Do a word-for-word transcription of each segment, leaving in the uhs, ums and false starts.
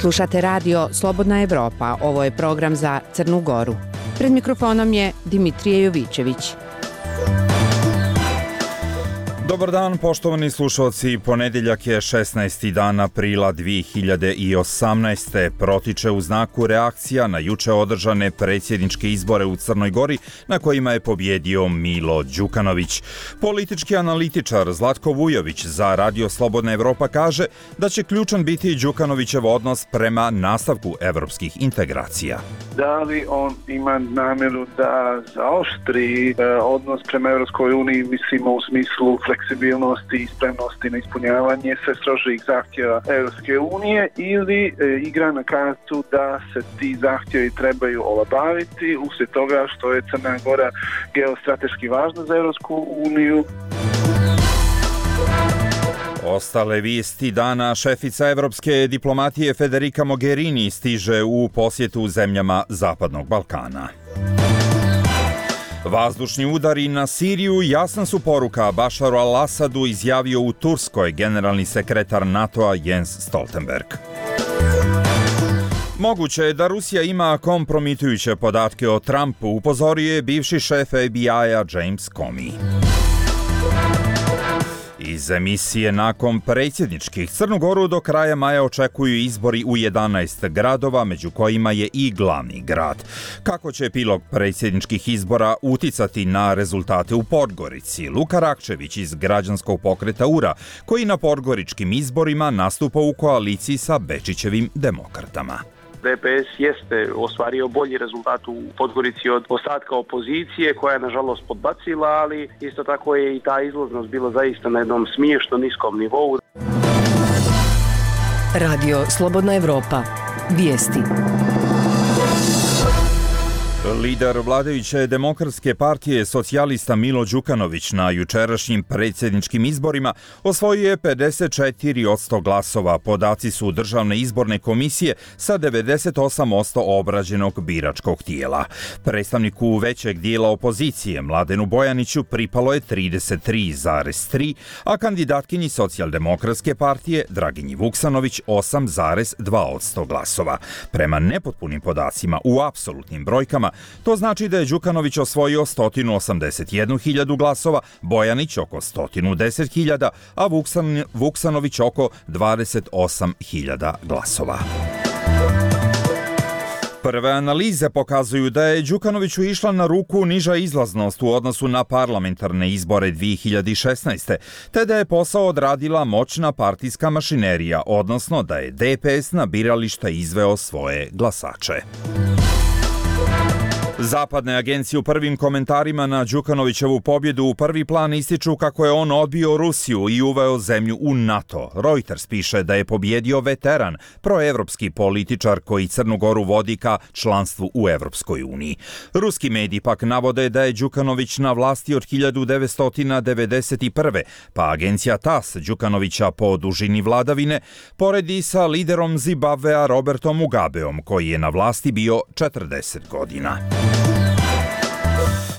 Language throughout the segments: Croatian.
Slušate radio Slobodna Evropa, ovo je program za Crnu Goru. Pred mikrofonom je Dimitrije Jovićević. Dobar dan, poštovani slušalci. Ponedjeljak je šesnaesti dan aprila dvije hiljade osamnaeste. Protiče u znaku reakcija na juče održane predsjedničke izbore u Crnoj Gori, na kojima je pobjedio Milo Đukanović. Politički analitičar Zlatko Vujović za radio Slobodna Evropa kaže da će ključan biti Đukanovićev odnos prema nastavku evropskih integracija. Da li on ima namjeru da zaoštri e, odnos prema Evropskoj uniji, mislimo u smislu fleksibilnosti i spremnosti na ispunjavanje sve strožijih zahtjeva Europske unije, ili e, igra na kartu da se ti zahtjevi trebaju olabaviti uslijed toga što je Crna Gora geostrateški važna za Europsku uniju. Ostale vijesti dana: šefica evropske diplomatije Federica Mogherini stiže u posjetu zemljama Zapadnog Balkana. Vazdušni udari na Siriju jasna su poruka Bašaru al-Asadu, izjavio u Turskoj generalni sekretar NATO-a Jens Stoltenberg. Moguće je da Rusija ima kompromitujuće podatke o Trumpu, upozorio je bivši šef F B I-a James Comey. Iz emisije nakon predsjedničkih, Crnu Goru do kraja maja očekuju izbori u jedanaest gradova, među kojima je i glavni grad. Kako će epilog predsjedničkih izbora uticati na rezultate u Podgorici? Luka Rakčević iz građanskog pokreta U R A, koji na podgoričkim izborima nastupa u koaliciji sa Bečićevim demokratama. D P S jeste ostvario bolji rezultat u Podgorici od ostatka opozicije, koja je nažalost podbacila, ali isto tako je i ta izlaznost bila zaista na jednom smiješno niskom nivou. Radio Slobodna Evropa. Vijesti. Lider vladajuće demokratske partije socijalista Milo Đukanović na jučerašnjim predsjedničkim izborima osvojio je pedeset četiri posto glasova. Podaci su Državne izborne komisije sa devedeset osam posto obrađenog biračkog tijela. Predstavniku većeg dijela opozicije Mladenu Bojaniću pripalo je trideset tri zarez tri, a kandidatkinji socijaldemokratske partije Draginji Vuksanović osam zarez dva posto glasova. Prema nepotpunim podacima u apsolutnim brojkama, to znači da je Đukanović osvojio sto osamdeset jednu hiljadu glasova, Bojanić oko sto deset hiljada, a Vuksan, Vuksanović oko dvadeset osam hiljada glasova. Prve analize pokazuju da je Đukanoviću išla na ruku niža izlaznost u odnosu na parlamentarne izbore dvije hiljade šesnaeste. te da je posao odradila moćna partijska mašinerija, odnosno da je D P S na birališta izveo svoje glasače. Zapadne agencije u prvim komentarima na Đukanovićevu pobjedu u prvi plan ističu kako je on odbio Rusiju i uveo zemlju u NATO. Reuters piše da je pobjedio veteran, proevropski političar koji Crnu Goru vodi ka članstvu u Evropskoj uniji. Ruski mediji pak navode da je Đukanović na vlasti od hiljadu devetsto devedeset prve. pa agencija T A S Đukanovića po dužini vladavine poredi sa liderom Zimbabvea Robertom Mugabeom, koji je na vlasti bio četrdeset godina.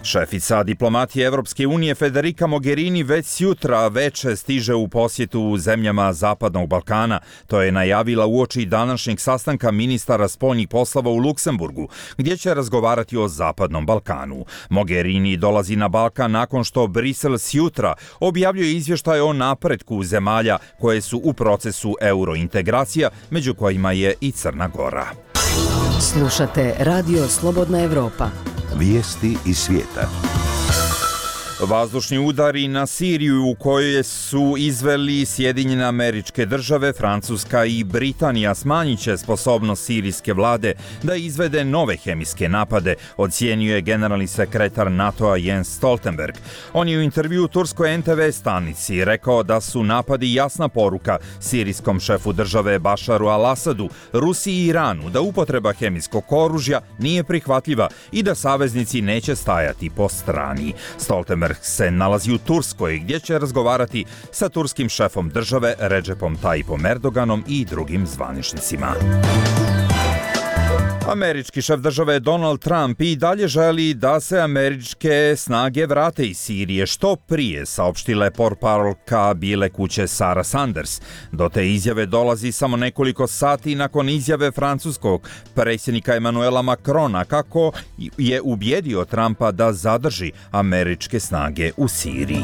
Šefica diplomatije Evropske unije Federica Mogherini već sutra veče stiže u posjetu u zemljama Zapadnog Balkana. To je najavila uoči današnjeg sastanka ministara spoljnih poslova u Luksemburgu, gdje će razgovarati o Zapadnom Balkanu. Mogherini dolazi na Balkan nakon što Brisel sutra objavljuje izvještaj o napretku zemalja koje su u procesu eurointegracija, među kojima je i Crna Gora. Slušate Radio Slobodna Evropa. Vijesti iz svijeta. Vazdušni udari na Siriju u kojoj su izveli Sjedinjene Američke Države, Francuska i Britanija smanjit će sposobnost sirijske vlade da izvede nove hemijske napade, ocijenio je generalni sekretar NATO-a Jens Stoltenberg. On je u intervju turskoj N T V stanici rekao da su napadi jasna poruka sirijskom šefu države Bašaru al-Asadu, Rusiji i Iranu da upotreba hemijskog oružja nije prihvatljiva i da saveznici neće stajati po strani. Stoltenberg se nalazi u Turskoj, gdje će razgovarati sa turskim šefom države Recepom Tayyipom Erdoganom i drugim zvaničnicima. Američki šef države Donald Trump i dalje želi da se američke snage vrate iz Sirije što prije, saopštila je portparolka Bijele kuće Sarah Sanders. Do te izjave dolazi samo nekoliko sati nakon izjave francuskog predsjednika Emmanuela Macrona kako je ubjedio Trumpa da zadrži američke snage u Siriji.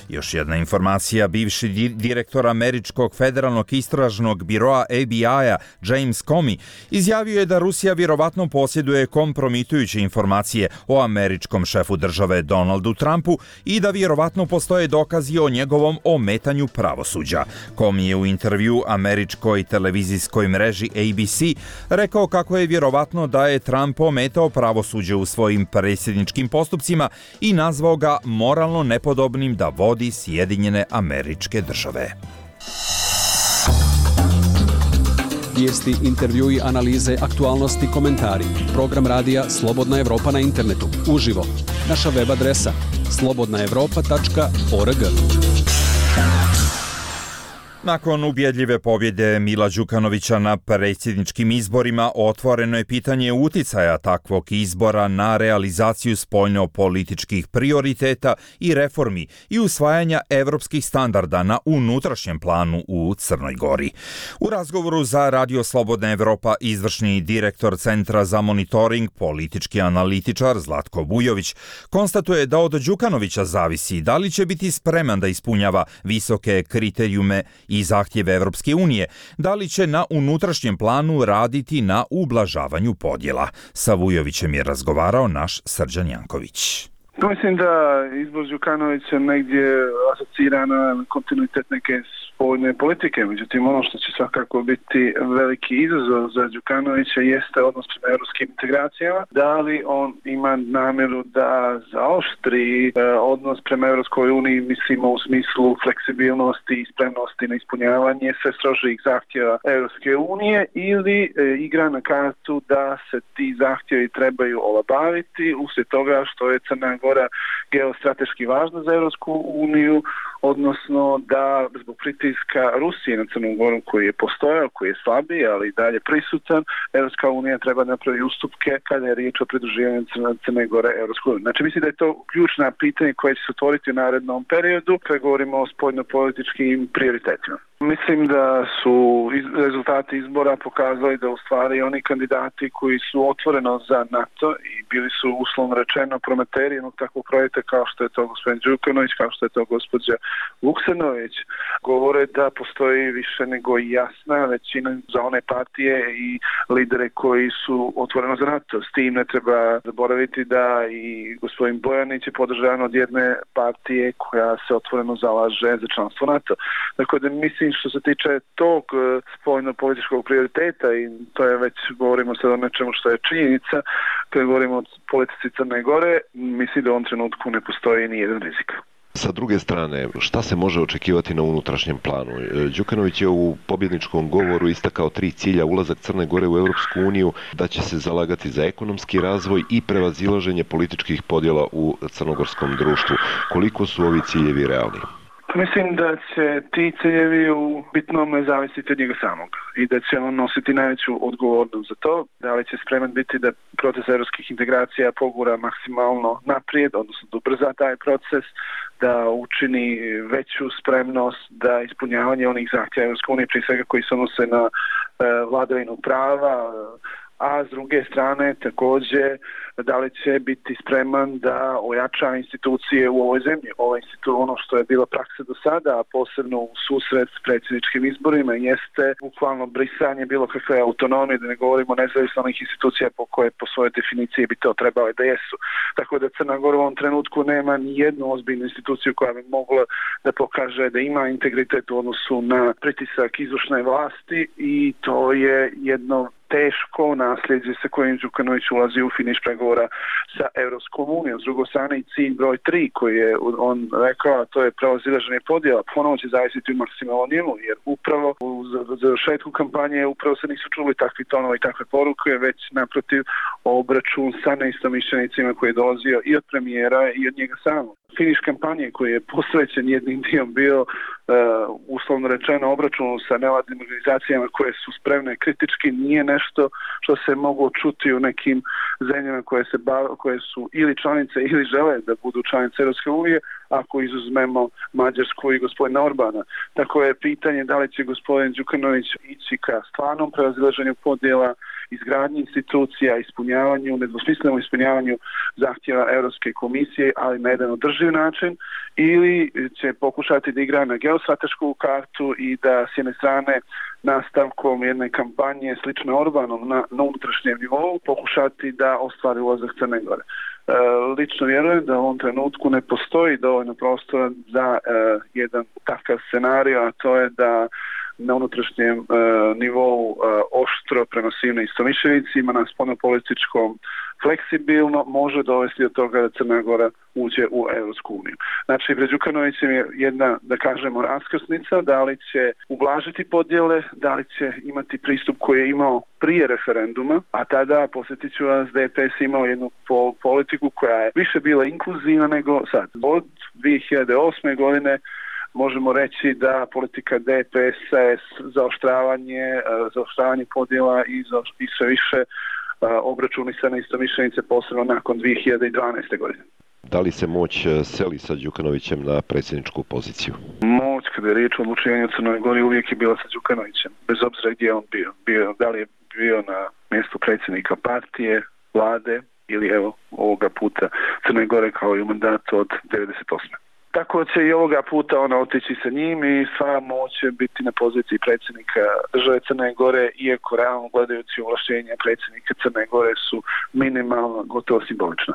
Još jedna informacija, bivši direktor američkog federalnog istražnog biroa F B I-a James Comey izjavio je da Rusija vjerovatno posjeduje kompromitujuće informacije o američkom šefu države Donaldu Trumpu i da vjerovatno postoje dokazi o njegovom ometanju pravosuđa. Comey je u intervju američkoj televizijskoj mreži A B C rekao kako je vjerovatno da je Trump ometao pravosuđe u svojim predsjedničkim postupcima i nazvao ga moralno nepodobnim da vodi Sjedinjene Američke Države. Vijesti, intervjui, analize, aktualnosti, komentari. Program radija Slobodna Evropa na internetu. Uživo. Naša web adresa slobodna evropa tačka org. Nakon ubjedljive pobjede Mila Đukanovića na predsjedničkim izborima, otvoreno je pitanje uticaja takvog izbora na realizaciju spoljno-političkih prioriteta i reformi i usvajanja evropskih standarda na unutrašnjem planu u Crnoj Gori. U razgovoru za Radio Slobodna Evropa izvršni direktor Centra za monitoring, politički analitičar Zlatko Vujović, konstatuje da od Đukanovića zavisi da li će biti spreman da ispunjava visoke kriterijume i zahtjeve Evropske unije, da li će na unutrašnjem planu raditi na ublažavanju podjela. Sa Vujovićem je razgovarao naš Srđan Janković. Mislim da izbor Đukanovića negdje asocira na kontinuitet neke spoljne politike. Međutim, ono što će svakako biti veliki izazov za Đukanovića jeste odnos prema europskim integracijama. Da li on ima namjeru da zaoštri eh, odnos prema Europskoj uniji, mislimo u smislu fleksibilnosti i spremnosti na ispunjavanje sve strožijih zahtjeva Europske unije, ili eh, igra na kartu da se ti zahtjevi trebaju olabaviti uslijed toga što je Crna Gora geostrateški važna za Europsku uniju, odnosno da zbog pritiska Rusije na Crnu Goru koji je postojao, koji je slabiji, ali i dalje prisutan, Europska unija treba napraviti ustupke kada je riječ o pridruživanju Crne Gore Europskoj uniji. Znači, mislim da je to ključna pitanja koje će se otvoriti u narednom periodu kad govorimo o spoljno-političkim prioritetima. Mislim da su rezultati izbora pokazali da u stvari oni kandidati koji su otvoreno za NATO i bili su uslovno rečeno prometeri jednog takvog projekta kao što je to gospodin Đukanović, kao što je to gospođa Vuksanović, govore da postoji više nego jasna većina za one partije i lidere koji su otvoreno za NATO. S tim ne treba zaboraviti da i gospodin Bojanić je podržan od jedne partije koja se otvoreno zalaže za članstvo NATO. Dakle, da mislim što se tiče tog spoljno-političkog prioriteta, i to je već, govorimo sad o nečemu što je činjenica, kad govorimo o politici Crne Gore, mislim da u ovom trenutku ne postoji ni jedan rizik. Sa druge strane, šta se može očekivati na unutrašnjem planu? Đukanović je u pobjedničkom govoru istakao tri cilja: ulazak Crne Gore u Europsku uniju, da će se zalagati za ekonomski razvoj i prevazilaženje političkih podjela u crnogorskom društvu. Koliko su ovi ciljevi realni? Mislim da će ti ciljevi u bitnome zavisiti od njega samog i da će on nositi najveću odgovornost za to. Da li će spreman biti da proces europskih integracija pogura maksimalno naprijed, odnosno da ubrza taj proces, da učini veću spremnost da ispunjavanje onih zahtjeva Europske unije, prije svega koji se odnose na e, vladavinu prava, a s druge strane također da li će biti spreman da ojača institucije u ovoj zemlji. Ovo institu, ono što je bila praksa do sada, a posebno u susret s predsjedničkim izborima, jeste bukvalno brisanje bilo kakve autonomije, da ne govorimo nezavisnih institucija po koje po svojoj definiciji bi to trebale da jesu. Tako da Crna Gora u ovom trenutku nema ni jednu ozbiljnu instituciju koja bi mogla da pokaže da ima integritet u odnosu na pritisak izvršne vlasti, i to je jedno teško nasljeđe sa kojim Đukanović ulazi u finiš pregovora sa Europskom unijom. S druge strane i cilj broj tri koji je on rekao, a to je prevazilaženje podjela, ponovo će zavisiti u maksimalnom njemu, jer upravo u završetku kampanje upravo se nisu čuli takvi tonovi i takve poruke, već naprotiv obračun sa neistomišljenicima koji je dolazio i od premijera i od njega samog. Finiš kampanje koji je posvećen jednim dijelom bio uh, uslovno rečeno obračunu sa nevladnim organizacijama koje su spremne kritički, nije nešto što se moglo čuti u nekim zemljama koje, se bav, koje su ili članice ili žele da budu članice Europske unije, ako izuzmemo Mađarsku i gospodina Orbana. Tako je pitanje da li će gospodin Đukanović ići ka stvarnom prevazilaženju podjela, izgradnji institucija, ispunjavanju, nedvosmislenom ispunjavanju zahtjeva Europske komisije, ali na jedan održiv način, ili će pokušati da igra na geostratešku kartu i da s jedne strane nastavkom jedne kampanje slične Orbanom na, na unutrašnjem nivou pokušati da ostvari ulazak Crne Gore. E, lično vjerujem da u ovom trenutku ne postoji dovoljno prostora za e, jedan takav scenario, a to je da na unutrašnjem e, nivou e, oštro prema svim istomišljenicima na spoljnopolitičkom fleksibilno može dovesti do toga da Crna Gora uđe u Europsku uniju. Znači, pred Đukanovićem je jedna, da kažemo, raskrsnica, da li će ublažiti podjele, da li će imati pristup koji je imao prije referenduma, a tada, posjetit ću vas, D P S imao jednu po- politiku koja je više bila inkluzivna nego sad. Od dvije hiljade osme. godine možemo reći da politika D P S-a je zaoštravanje, zaoštravanje podjela i, za, i sve više obračuni se na istomišljenice, posebno nakon dvije hiljade dvanaeste. godine. Da li se moć seli sa Đukanovićem na predsjedničku poziciju? Moć, kada je riječ o odlučivanju u Crnoj Gori, uvijek je bila sa Đukanovićem, bez obzira gdje on bio. bio. Da li je bio na mjestu predsjednika partije, vlade ili evo ovoga puta Crne Gore kao i u mandatu od devedeset osme. Tako će i ovoga puta ona otići sa njim i sva moć će biti na poziciji predsjednika države Crne Gore, iako realno gledajući ovlaštenja predsjednika Crne Gore su minimalno, gotovo simbolična.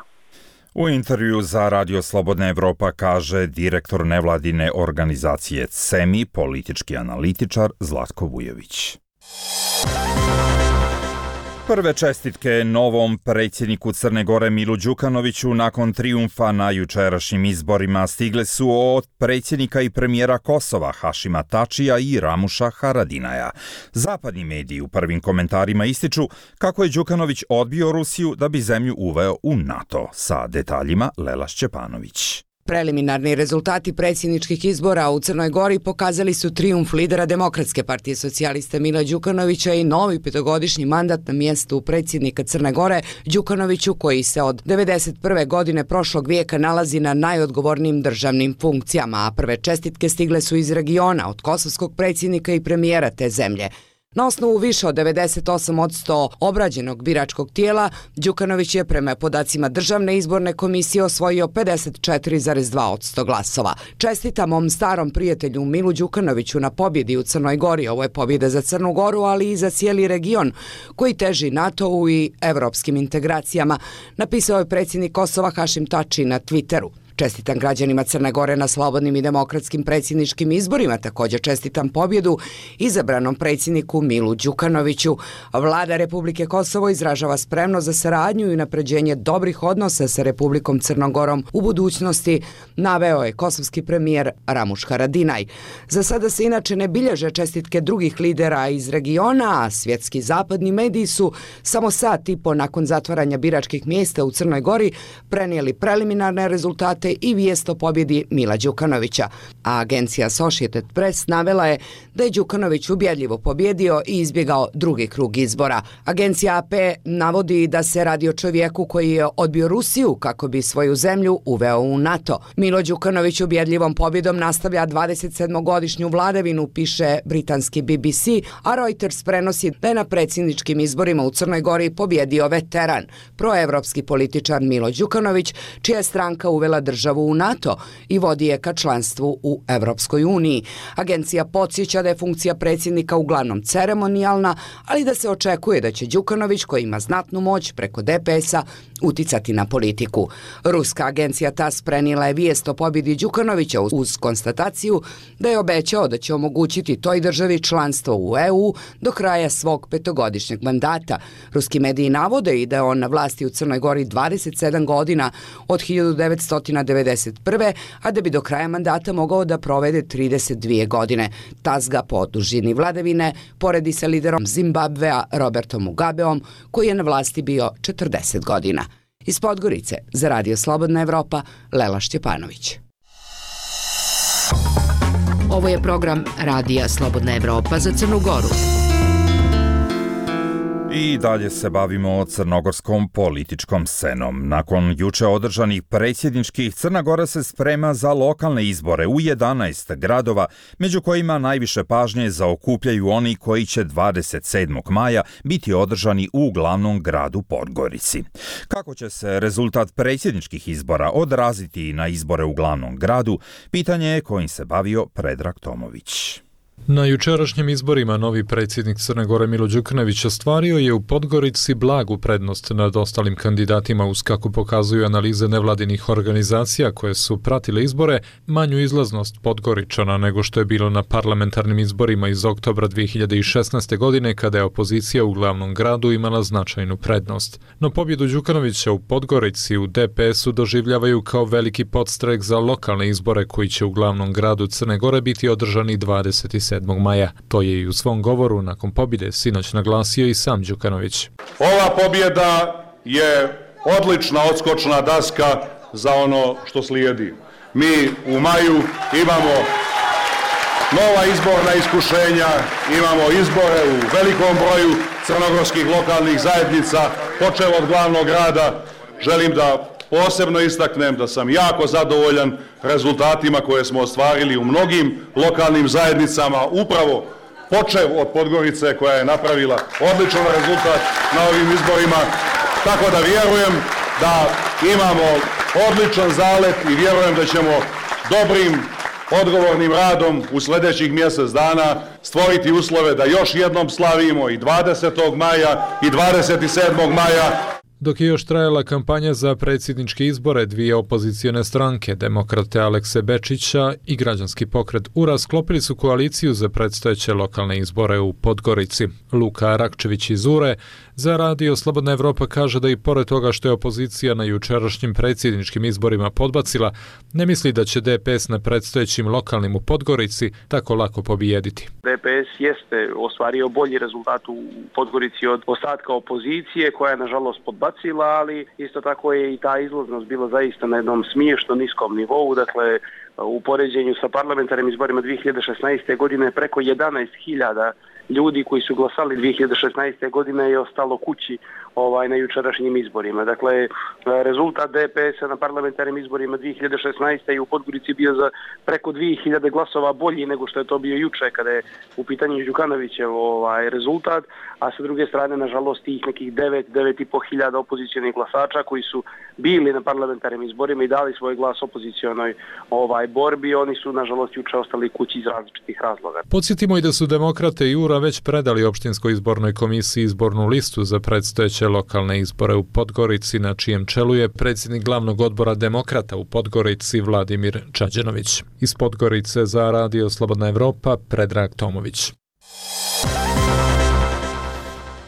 U intervju za Radio Slobodna Evropa kaže direktor nevladine organizacije C E M I, politički analitičar Zlatko Vujović. Prve čestitke novom predsjedniku Crne Gore Milu Đukanoviću nakon trijumfa na jučerašnjim izborima stigle su od predsjednika i premijera Kosova Hašima Tačija i Ramuša Haradinaja. Zapadni mediji u prvim komentarima ističu kako je Đukanović odbio Rusiju da bi zemlju uveo u NATO. Sa detaljima Lela Šćepanović. Preliminarni rezultati predsjedničkih izbora u Crnoj Gori pokazali su trijumf lidera Demokratske partije socijalista Mila Đukanovića i novi petogodišnji mandat na mjestu predsjednika Crne Gore Đukanoviću, koji se od devedeset prve. godine prošlog vijeka nalazi na najodgovornijim državnim funkcijama, a prve čestitke stigle su iz regiona od kosovskog predsjednika i premijera te zemlje. Na osnovu više od devedeset osam posto obrađenog biračkog tijela, Đukanović je prema podacima Državne izborne komisije osvojio pedeset četiri zarez dva posto glasova. Čestitam mom starom prijatelju Milu Đukanoviću na pobjedi u Crnoj Gori. Ovo je pobjeda za Crnu Goru, ali i za cijeli region koji teži NATO-u i evropskim integracijama, napisao je predsjednik Kosova Hašim Tači na Twitteru. Čestitam građanima Crne Gore na slobodnim i demokratskim predsjedničkim izborima, također čestitam pobjedu izabranom predsjedniku Milu Đukanoviću. Vlada Republike Kosovo izražava spremnost za saradnju i unapređenje dobrih odnosa sa Republikom Crnom Gorom u budućnosti, naveo je kosovski premijer Ramuš Haradinaj. Za sada se inače ne bilježe čestitke drugih lidera iz regiona, a svjetski zapadni mediji su samo sat i po nakon zatvaranja biračkih mjesta u Crnoj Gori prenijeli preliminarne rezultate i vijest o pobjedi Mila Đukanovića. A agencija Associated Press navela je da je Đukanović ubjedljivo pobjedio i izbjegao drugi krug izbora. Agencija A P navodi da se radi o čovjeku koji je odbio Rusiju kako bi svoju zemlju uveo u NATO. Milo Đukanović ubjedljivom pobjedom nastavlja dvadesetsedmogodišnju vladavinu, piše britanski B B C, a Reuters prenosi da je na predsjedničkim izborima u Crnoj Gori pobjedio veteran, proevropski političar Milo Đukanović, čija je stranka uvela državu u NATO i vodi je ka članstvu u Evropskoj uniji. Agencija podsjeća da je funkcija predsjednika uglavnom ceremonijalna, ali da se očekuje da će Đukanović, koji ima znatnu moć preko D P S-a, uticati na politiku. Ruska agencija T A S prenijela je vijest o pobjedi Đukanovića uz konstataciju da je obećao da će omogućiti toj državi članstvo u E U do kraja svog petogodišnjeg mandata. Ruski mediji navode i da je on na vlasti u Crnoj Gori dvadeset sedam godina od hiljadu devetsto devedeset prve. a da bi do kraja mandata mogao da provede trideset dvije godine. T A S ga po dužini vladavine poredi sa liderom Zimbabvea Robertom Mugabeom, koji je na vlasti bio četrdeset godina. Iz Podgorice, za Radio Slobodna Evropa, Lela Šćepanović. Ovo je program Radija Slobodna Evropa za Crnu Goru. I dalje se bavimo crnogorskom političkom scenom. Nakon juče održanih predsjedničkih, Crna Gora se sprema za lokalne izbore u jedanaest gradova, među kojima najviše pažnje zaokupljaju oni koji će dvadeset sedmog maja biti održani u glavnom gradu Podgorici. Kako će se rezultat predsjedničkih izbora odraziti na izbore u glavnom gradu, pitanje je kojim se bavio Predrag Tomović. Na jučerašnjim izborima novi predsjednik Crne Gore Milo Đukanović ostvario je u Podgorici blagu prednost nad ostalim kandidatima, uz, kako pokazuju analize nevladinih organizacija koje su pratile izbore, manju izlaznost Podgoričana nego što je bilo na parlamentarnim izborima iz oktobra dvije hiljade šesnaeste. godine, kada je opozicija u glavnom gradu imala značajnu prednost. No pobjedu Đukanovića u Podgorici u D P S-u doživljavaju kao veliki podstrek za lokalne izbore koji će u glavnom gradu Crne Gore biti održani dvadeset sedmog maja. To je i u svom govoru nakon pobjede sinoć naglasio i sam Đukanović. Ova pobjeda je odlična odskočna daska za ono što slijedi. Mi u maju imamo nova izborna iskušenja, imamo izbore u velikom broju crnogorskih lokalnih zajednica, počev od glavnog grada. Želim da posebno istaknem da sam jako zadovoljan rezultatima koje smo ostvarili u mnogim lokalnim zajednicama, upravo počev od Podgorice koja je napravila odličan rezultat na ovim izborima, tako da vjerujem da imamo odličan zalet i vjerujem da ćemo dobrim, odgovornim radom u sljedećih mjesec dana stvoriti uslove da još jednom slavimo i dvadesetog maja i dvadeset sedmog maja. Dok je još trajala kampanja za predsjedničke izbore, dvije opozicione stranke, demokrate Alekse Bečića i građanski pokret U R A, sklopili su koaliciju za predstojeće lokalne izbore u Podgorici. Luka Rakčević iz U R E za Radio Slobodna Evropa kaže da i pored toga što je opozicija na jučerašnjim predsjedničkim izborima podbacila, ne misli da će D P S na predstojećim lokalnim u Podgorici tako lako pobijediti. D P S jeste ostvario bolji rezultat u Podgorici od ostatka opozicije koja je nažalost podbacila, ali isto tako je i ta izlaznost bila zaista na jednom smiješno niskom nivou. Dakle, u poređenju sa parlamentarnim izborima dvije hiljade šesnaeste. godine preko jedanaest hiljada ljudi koji su glasali dvije hiljade šesnaeste. godine je ostalo kući ovaj, na jučerašnjim izborima. Dakle, rezultat D P S-a na parlamentarnim izborima dvije hiljade šesnaeste. i u Podgorici bio za preko dvije hiljade glasova bolji nego što je to bio juče kada je u pitanju Đukanovićev ovaj, rezultat, a sa druge strane, nažalost, tih nekih devet, devet i po hiljada opozicijonih glasača koji su bili na parlamentarnim izborima i dali svoj glas opozicijonoj ovaj, borbi, oni su, nažalost, juče ostali kući iz različitih razloga. Podsjetimo i da su demokrate i U R A već predali opštinskoj izbornoj komisiji izbornu listu za predstojeće lokalne izbore u Podgorici, na čijem čelu je predsjednik glavnog odbora demokrata u Podgorici Vladimir Čađenović. Iz Podgorice za Radio Slobodna Evropa, Predrag Tomović.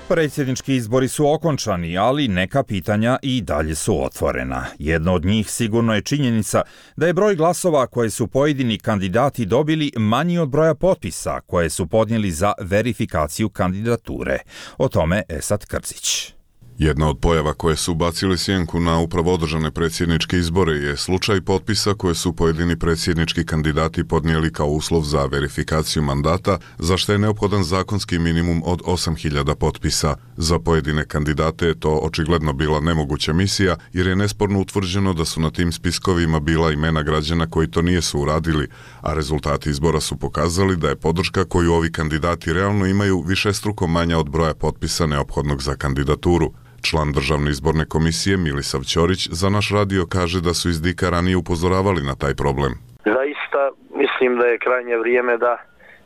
Predsjednički izbori su okončani, ali neka pitanja i dalje su otvorena. Jedno od njih sigurno je činjenica da je broj glasova koje su pojedini kandidati dobili manji od broja potpisa koje su podnijeli za verifikaciju kandidature. O tome Esad Krzić. Jedna od pojava koje su bacili sjenku na upravo održane predsjedničke izbore je slučaj potpisa koje su pojedini predsjednički kandidati podnijeli kao uslov za verifikaciju mandata, za što je neophodan zakonski minimum od osam hiljada potpisa. Za pojedine kandidate je to očigledno bila nemoguća misija, jer je nesporno utvrđeno da su na tim spiskovima bila imena građana koji to nijesu uradili, a rezultati izbora su pokazali da je podrška koju ovi kandidati realno imaju višestruko manja od broja potpisa neophodnog za kandidaturu. Član Državne izborne komisije Milisav Ćorić za naš radio kaže da su iz Dika ranije upozoravali na taj problem. Zaista mislim da je krajnje vrijeme da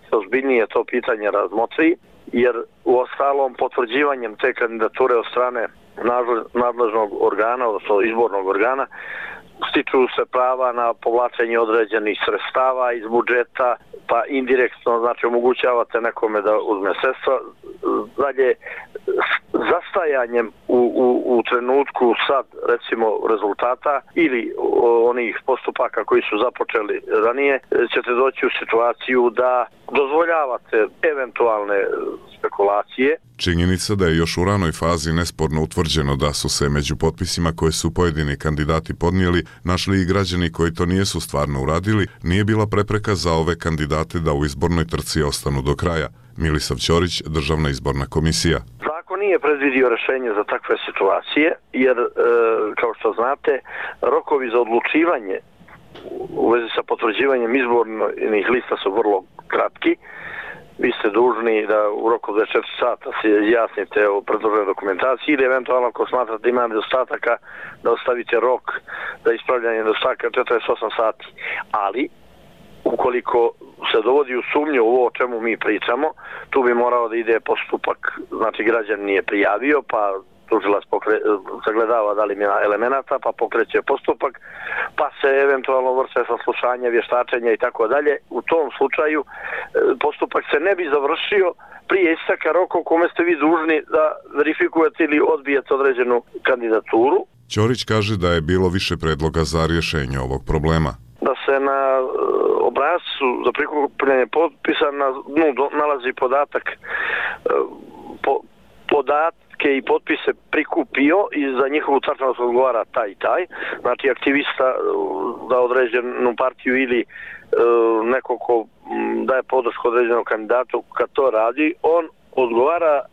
se ozbiljnije to pitanje razmotri, jer u ostalom potvrđivanjem te kandidature od strane nadležnog organa, odnosno izbornog organa, stiču se prava na povlačenje određenih sredstava iz budžeta, pa indirektno, znači, omogućavate nekome da uzme sredstva. Dalje, zasta ostajanjem u, u, u trenutku sad recimo rezultata ili onih postupaka koji su započeli ranije, ćete doći u situaciju da dozvoljavate eventualne spekulacije. Činjenica da je još u ranoj fazi nesporno utvrđeno da su se među potpisima koje su pojedini kandidati podnijeli našli i građani koji to nijesu stvarno uradili, nije bila prepreka za ove kandidate da u izbornoj trci ostanu do kraja. Milisav Ćorić, Državna izborna komisija. Zakon nije predvidio rješenje za takve situacije, jer, e, kao što znate, rokovi za odlučivanje u vezi sa potvrđivanjem izbornih lista su vrlo kratki. Vi ste dužni da u roku dvadeset četiri sata se izjasnite o predloženoj dokumentaciji ili eventualno ako smatrate da ima nedostataka da ostavite rok za ispravljanje nedostataka četrdeset osam sati. Ali, ukoliko se dovodi u sumnju ovo o čemu mi pričamo, tu bi morao da ide postupak, znači građan nije prijavio, pa tužilac pokre- sagledava da li ima elemenata, pa pokreće postupak, pa se eventualno vrše saslušanje, vještačenja i tako dalje. U tom slučaju postupak se ne bi završio prije isteka roka u kome ste vi dužni da verifikujete ili odbijete određenu kandidaturu. Ćorić kaže da je bilo više predloga za rješenje ovog problema. Da se na obrascu za prikupljanje potpisa na dnu nalazi podatak po, podatke i potpise prikupio i za njihovu tačnost odgovara taj i taj. Znači aktivista za određenu partiju ili e, neko ko daje podršku određenom kandidatu kad to radi, on odgovara e,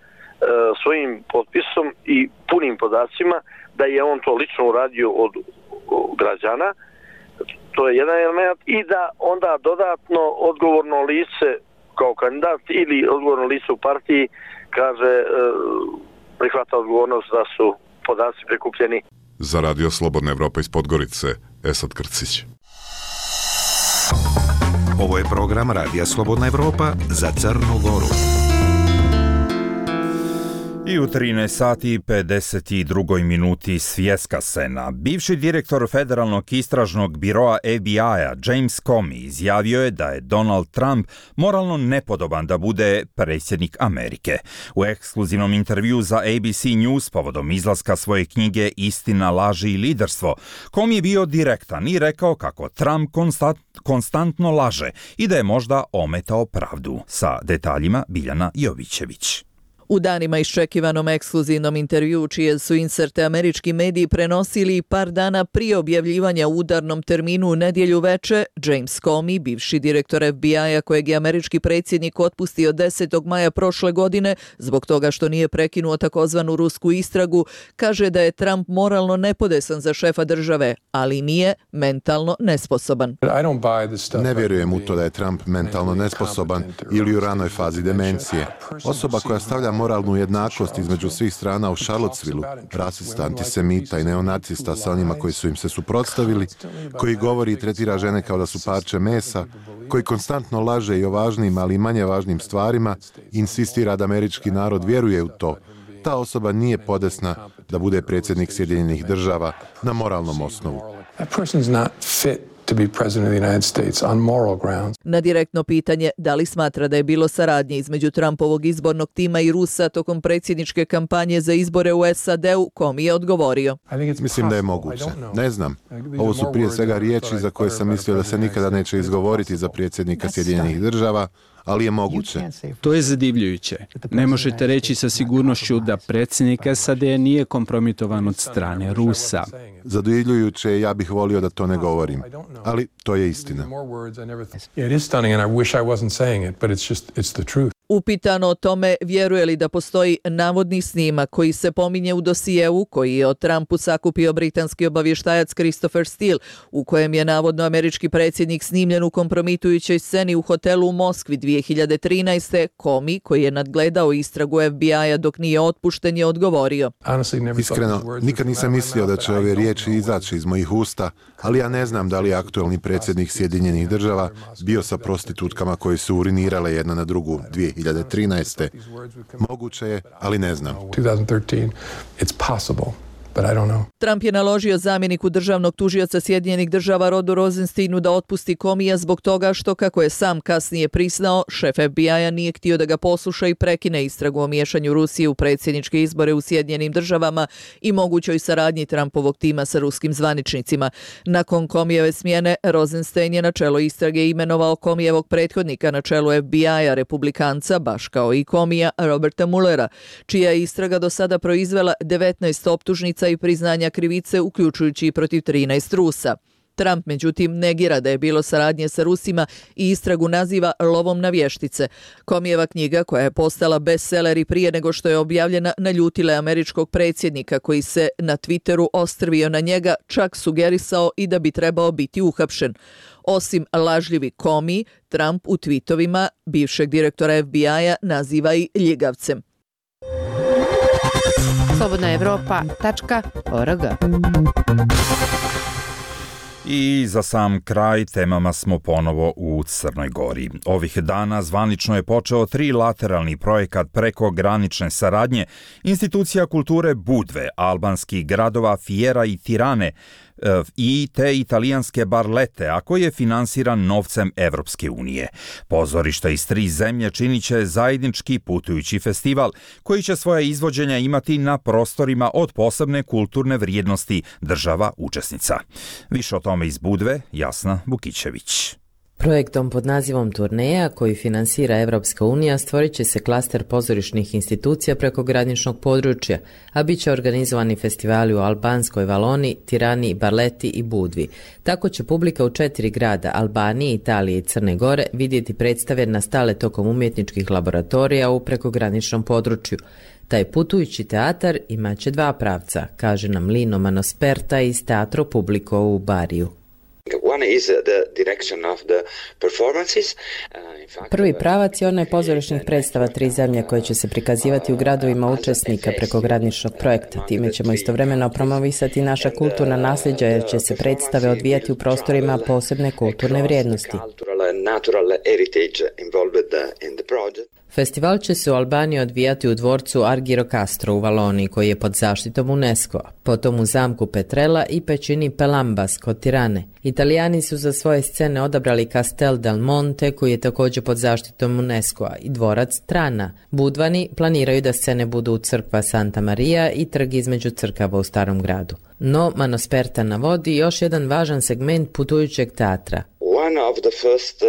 svojim potpisom i punim podacima da je on to lično uradio od, od građana. To je jedan element i da onda dodatno odgovorno lice kao kandidat ili odgovorno lice u partiji kaže e, prihvata odgovornost da su podaci prikupljeni. Za Radio Slobodna Evropa iz Podgorice, Esad Krcić. Ovo je program Radija Slobodna Evropa za Crnu Goru. I u trinaest sati i pedeset dva minuti svjetska scena. Bivši direktor Federalnog istražnog biroa F B I-a James Comey izjavio je da je Donald Trump moralno nepodoban da bude predsjednik Amerike. U ekskluzivnom intervju za A B C News povodom izlaska svoje knjige Istina, laži i liderstvo, Comey je bio direktan i rekao kako Trump konstant, konstantno laže i da je možda ometao pravdu. Sa detaljima Biljana Jovićević. U danima iščekivanom ekskluzivnom intervju, čije su inserte američki mediji prenosili par dana prije objavljivanja u udarnom terminu u nedjelju veče, James Comey, bivši direktor F B I-a kojeg je američki predsjednik otpustio desetog maja prošle godine zbog toga što nije prekinuo takozvanu rusku istragu, kaže da je Trump moralno nepodesan za šefa države, ali nije mentalno nesposoban. Ne vjerujem u to da je Trump mentalno nesposoban ili u ranoj fazi demencije. Osoba koja stavlja moralnu jednakost između svih strana u Charlottesvilleu, rasista, antisemita i neonacista sa onima koji su im se suprotstavili, koji govori i tretira žene kao da su parče mesa, koji konstantno laže i o važnim, ali i manje važnim stvarima, insistira da američki narod vjeruje u to. Ta osoba nije podesna da bude predsjednik Sjedinjenih država na moralnom osnovu. To be president of the United States on moral grounds. Na direktno pitanje da li smatra da je bilo saradnje između Trumpovog izbornog tima i Rusa tokom predsjedničke kampanje za izbore u S A D-u, Comey je odgovorio. Mislim da je moguće. Ne znam. Ovo su prije svega riječi za koje sam mislio da se nikada neće izgovoriti za predsjednika Sjedinjenih država, ali je moguće. To je zadivljujuće. Ne možete reći sa sigurnošću da predsjednik S A D nije kompromitovan od strane Rusa. Zadivljujuće, ja bih volio da to ne govorim, ali to je istina. Upitano o tome vjeruje li da postoji navodni snimak koji se pominje u dosijeu koji je o Trumpu sakupio britanski obavještajac Christopher Steele, u kojem je navodno američki predsjednik snimljen u kompromitujućoj sceni u hotelu u Moskvi dvije hiljade trinaeste. Comey, koji je nadgledao istragu F B I-a dok nije otpušten, je odgovorio. Iskreno, nikad nisam mislio da će ove riječi izaći iz mojih usta, ali ja ne znam da li je aktuelni predsjednik Sjedinjenih država bio sa prostitutkama koji su urinirale jedna na drugu dvije hiljade trinaeste. Moguće je, ali ne znam. Trump je naložio zamjeniku državnog tužioca Sjedinjenih država Rodu Rosensteinu da otpusti Comeyja zbog toga što, kako je sam kasnije priznao, šef F B I-a nije htio da ga posluša i prekine istragu o miješanju Rusije u predsjedničke izbore u Sjedinjenim državama i mogućoj saradnji Trumpovog tima sa ruskim zvaničnicima. Nakon Comeyjeve smjene, Rosenstein je na čelo istrage imenovao Comeyjevog prethodnika na čelu F B I-a, republikanca, baš kao i Comeyja, Roberta Muellera, čija je istraga do sada proizvela devetnaest optužnica i priznanja krivice, uključujući i protiv trinaest Rusa. Trump, međutim, negira da je bilo saradnje sa Rusima i istragu naziva lovom na vještice. Comeyjeva knjiga, koja je postala bestseller i prije nego što je objavljena, naljutile američkog predsjednika koji se na Twitteru ostrvio na njega, čak sugerisao i da bi trebao biti uhapšen. Osim lažljivi Comey, Trump u tweetovima bivšeg direktora F B I-a naziva i ljigavcem. slobodna evropa tačka org. I za sam kraj temama smo ponovo u Crnoj Gori. Ovih dana zvanično je počeo trilateralni projekat preko granične saradnje institucija kulture Budve, albanskih gradova Fiera i Tirane i te italijanske Barlete, a koji je finansiran novcem Evropske unije. Pozorišta iz tri zemlje činit će zajednički putujući festival koji će svoja izvođenja imati na prostorima od posebne kulturne vrijednosti država učesnica. Više o tome iz Budve, Jasna Vukićević. Projektom pod nazivom Turneja, koji finansira Evropska unija, stvorit će se klaster pozorišnih institucija preko graničnog područja, a bit će organizovani festivali u Albanskoj Valoni, Tirani, Barleti i Budvi. Tako će publika u četiri grada, Albanije, Italije i Crne Gore, vidjeti predstave nastale tokom umjetničkih laboratorija u prekograničnom području. Taj putujući teatar imaće dva pravca, kaže nam Lino Manosperta iz Teatro Publico u Bariju. Prvi pravac je onaj pozorišnih predstava tri zemlje koje će se prikazivati u gradovima učesnika prekograničnog projekta. Time ćemo istovremeno promovisati naša kulturna nasljeđa jer će se predstave odvijati u prostorima posebne kulturne vrijednosti. Festival će se u Albaniji odvijati u dvorcu Argiro Castro u Valoniji, koji je pod zaštitom UNESCO-a, potom u zamku Petrella i pećini Pelambas kod Tirane. Italijani su za svoje scene odabrali Castel del Monte, koji je također pod zaštitom UNESCO-a, i dvorac Trana. Budvani planiraju da scene budu u crkva Santa Maria i trg između crkava u Starom gradu. No, Manosperta navodi još jedan važan segment putujućeg teatra. One of the first uh,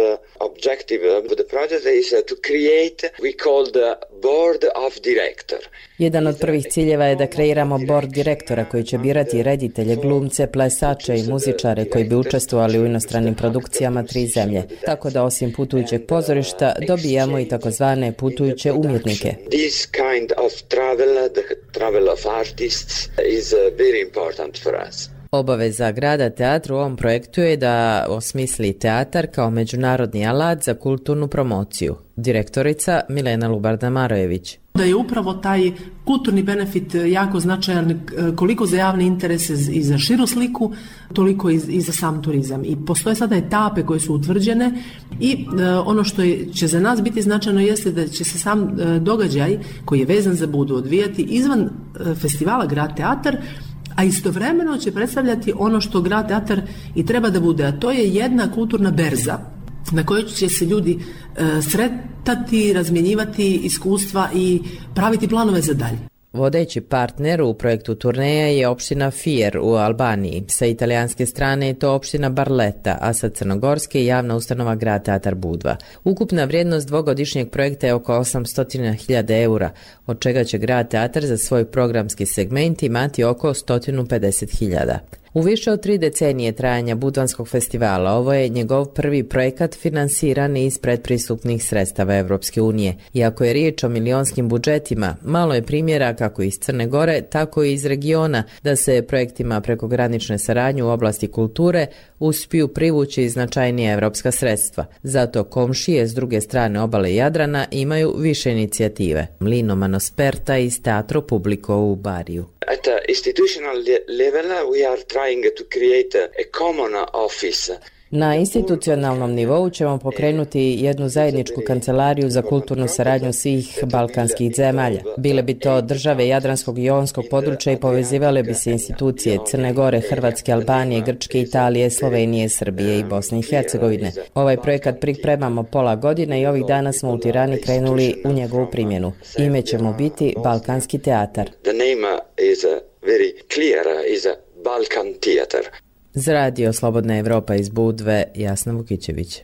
objective of the project is uh, to create we call the board of director. Jedan od prvih ciljeva je da kreiramo board direktora koji će birati reditelje, glumce, plesače i muzičare koji bi učestvovali u inostranim produkcijama tri zemlje. Tako da osim putujućeg pozorišta dobijamo i takozvane putujuće umjetnike. This kind of travel, the travel of artists is uh, very important for us. Obaveza grada teatru u ovom projektu je da osmisli teatar kao međunarodni alat za kulturnu promociju. Direktorica Milena Lubarda-Marojević. Da je upravo taj kulturni benefit jako značajan koliko za javne interese i za širu sliku, toliko i za sam turizam. I postoje sada etape koje su utvrđene i ono što je, će za nas biti značajno jeste da će se sam događaj koji je vezan za Budu odvijati izvan festivala Grad teatar, a istovremeno će predstavljati ono što Grad teatar i treba da bude, a to je jedna kulturna berza na kojoj će se ljudi e, sretati, razmjenjivati iskustva i praviti planove za dalje. Vodeći partner u projektu Turneja je opština Fier u Albaniji. Sa italijanske strane je to opština Barleta, a sa crnogorske javna ustanova Grad teatar Budva. Ukupna vrijednost dvogodišnjeg projekta je oko osamsto hiljada eura, od čega će Grad teatar za svoj programski segment imati oko sto pedeset hiljada. U više od tri decenije trajanja Budvanskog festivala ovo je njegov prvi projekat finansiran iz predpristupnih sredstava Evropske unije. Iako je riječ o milionskim budžetima, malo je primjera kako iz Crne Gore, tako i iz regiona da se projektima prekogranične saradnje u oblasti kulture uspiju privući značajnija evropska sredstva. Zato komšije s druge strane obale Jadrana imaju više inicijative. Lino Manosperta iz Teatro Publico u Bariju. At the institutional level we are trying to create a common office Na institucionalnom nivou ćemo pokrenuti jednu zajedničku kancelariju za kulturnu saradnju svih balkanskih zemalja. Bile bi to države Jadranskog i Jonskog područja i povezivale bi se institucije Crne Gore, Hrvatske, Albanije, Grčke, Italije, Slovenije, Srbije i Bosne i Hercegovine. Ovaj projekat pripremamo pola godine i ovih dana smo u Tirani krenuli u njegovu primjenu. Ime će mu biti Balkanski teatar. The name is very clear, is Balkan Theater. Za radio Slobodna Evropa iz Budve, Jasna Vukićević.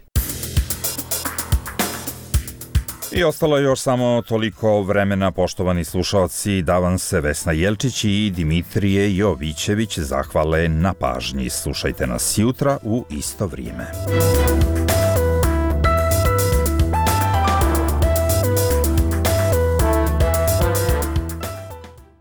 I ostalo je još samo toliko vremena, poštovani slušalci, da vam se Vesna Jelčić i Dimitrije Jovićević zahvale na pažnji. Slušajte nas jutra u isto vrijeme.